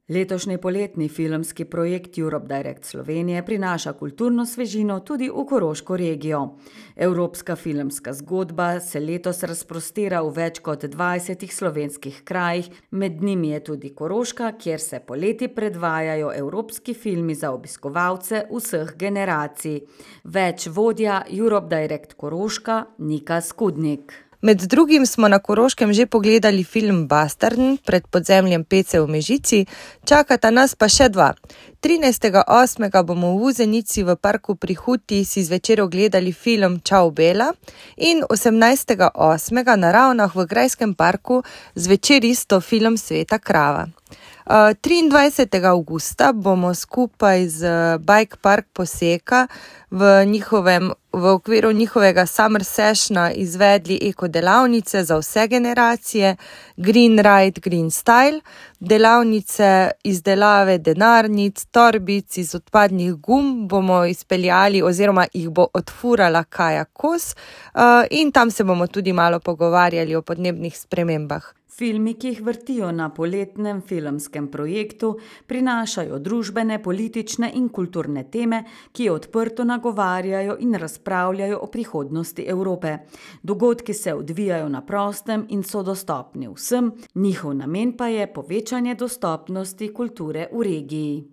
Letošnji poletni filmski projekt Europe Direct Slovenije prinaša kulturno svežino tudi v Koroško regijo. Evropska filmska zgodba se letos razprostira v več kot 20 slovenskih krajih, med njimi je tudi Koroška, kjer se poleti predvajajo evropski filmi za obiskovalce vseh generacij. Več vodja Europe Direct Koroška Nika Skudnik. Med drugim smo na Koroškem že pogledali film Bastarden pred podzemljem Pece v Mežici, čakata nas pa še dva. 13.8. bomo v Vuzenici v parku pri Huti si zvečer ogledali film Čau Bela in 18.8. na Ravnah v Grajskem parku zvečer isto film Sveta krava. 23. avgusta bomo skupaj z Bike Park Poseka v okviru njihovega Summer Sessiona izvedli eko delavnice za vse generacije, Green Ride, Green Style, delavnice izdelave denarnic, torbic iz odpadnih gum bomo izpeljali oziroma jih bo odfurala Kaja Kos in tam se bomo tudi malo pogovarjali o podnebnih spremembah. Filmi, ki jih vrtijo na poletnem filmskem projektu, prinašajo družbene, politične in kulturne teme, ki odprto nagovarjajo in razpravljajo o prihodnosti Evrope. Dogodki se odvijajo na prostem in so dostopni vsem, njihov namen pa je povečanje dostopnosti kulture v regiji.